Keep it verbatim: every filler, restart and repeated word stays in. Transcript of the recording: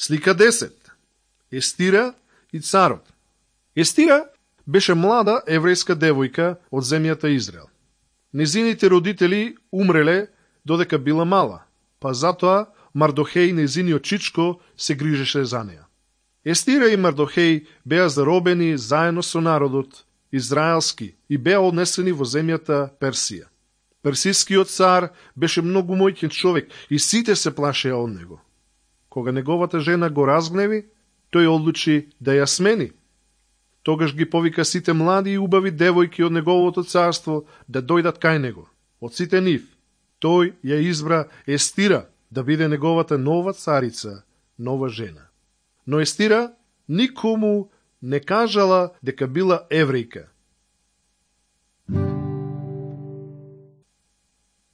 Слика десет. Естира и царот. Естира беше млада еврејска девојка од земјата Израел. Незините родители умреле додека била мала, па затоа Мардохеј, незиниот чичко, се грижеше за неа. Естира и Мардохеј беа заробени заедно со народот израелски и беа однесени во земјата Персија. Персискиот цар беше многу моќен човек и сите се плашеа од него. Кога неговата жена го разгневи, тој одлучи да ја смени. Тогаш ги повика сите млади и убави девојки од неговото царство да дојдат кај него. Од сите нив, тој ја избра Естира да биде неговата нова царица, нова жена. Но Естира никому не кажала дека била еврејка